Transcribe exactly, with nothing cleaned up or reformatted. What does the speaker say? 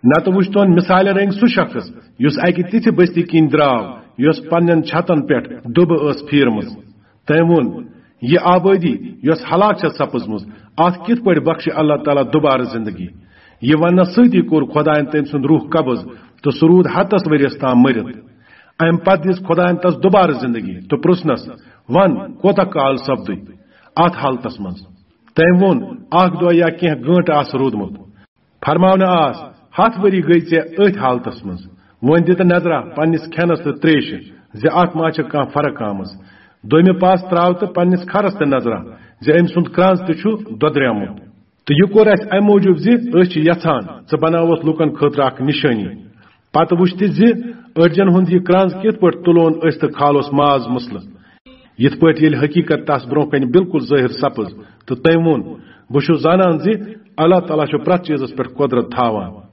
نتہٕ وُچھتون مثالہِ رنگۍ سُہ شخص یُس اکہِ تِژھِ بستی کِنۍ درٛاو، یۄس پننٮ۪ن چھتن پٮ۪ٹھ دُبہٕ ٲس پھیرمٕژ۔ تٔمۍ ووٚن، "یہِ آبٲدی یۄس ہلاک چھےٚ سپٕزمٕژ، اتھ کِتھ پٲٹھۍ بخشہِ اللہ تعالیٰ دوبارٕ زندگی؟" یہِ وننس سۭتی کوٚر خۄداین تٔمۍ سُنٛد روح قبض، تہٕ سُہ روٗد ہتس ؤرِیس تام مٔرِتھ۔ امہِ پتہٕ دِژ خۄداین تس دوبارٕ زندگی تہٕ پرژھنس، "ون، کوتاہ کال سپدُے اتھ حالتس منٛز؟" تٔمۍ ووٚن، "اکھ دۄہ یا کینٛہہ گٲنٹہٕ آسہٕ روٗدمُت۔" فرماونہٕ آس، "ہتھ ؤری گٔے ژےٚ أتھۍ حالتس منٛز۔ وۄنۍ دِ تہٕ نظرا پننِس کھٮ۪نس تہٕ تریشہِ زِ اتھ ما چھےٚ کانٛہہ فرق آمٕژ۔ دوٚیمہِ پاس تراو تہٕ پننِس کھرس تہِ نظرا زِ أمۍ سُنٛد کرٛنٛز تہِ چھُ دۄدریومُت۔ تہٕ یہِ کوٚر اسہِ امہِ موٗجوٗب زِ أسۍ چھِ یژھان ژٕ بناوتھ لوٗکن خٲطرٕ اکھ نِشٲنی۔ پتہٕ وُچھ تہِ زِ أڈجن ہُنٛد یہِ کرٛنٛز کِتھ پٲٹھۍ تُلون أسۍ تہٕ کھالوس ماز مسلہٕ، یِتھ پٲٹھۍ ییٚلہِ حقیقت تس برونٛہہ کنہِ بالکل ظٲہر سپٕز۔ تہٕ تٔمۍ ووٚن، بہٕ چھُس زانان زِ اللہ تعالیٰ چھُ پرٛٮ۪تھ چیٖزس پٮ۪ٹھ قۄدرت تھاوان۔"